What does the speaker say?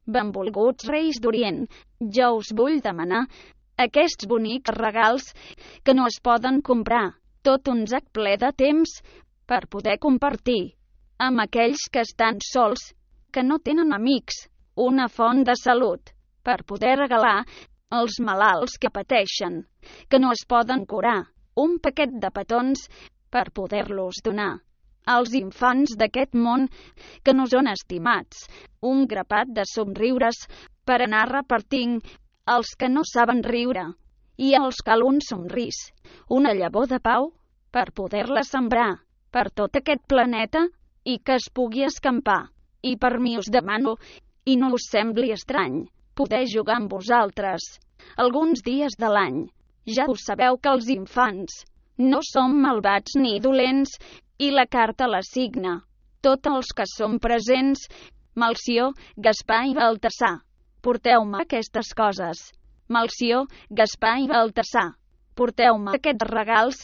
Benvolguts Reis d'Orient, jo us vull demanar aquests bonics regals que no es poden comprar, tot un sac ple de temps per poder compartir amb aquells que estan sols, que no tenen amics, una font de salut per poder regalar als malalts que pateixen, que no es poden curar, un paquet de petons per poder-los donar als infants d'aquest món que no són estimats, un grapat de somriures per anar repartint als que no saben riure, i als cal un somrís, una llavor de pau per poder-la sembrar per tot aquest planeta i que es pugui escampar. I per mi us demano, i no us sembli estrany, poder jugar amb vosaltres alguns dies de l'any. Ja ho sabeu que els infants no som malvats ni dolents, i la carta la signa tots els que som presents, Melcior, Gaspar i Baltasar. Porteu-me aquestes coses. Melcior, Gaspar i Baltasar. Porteu-me aquests regals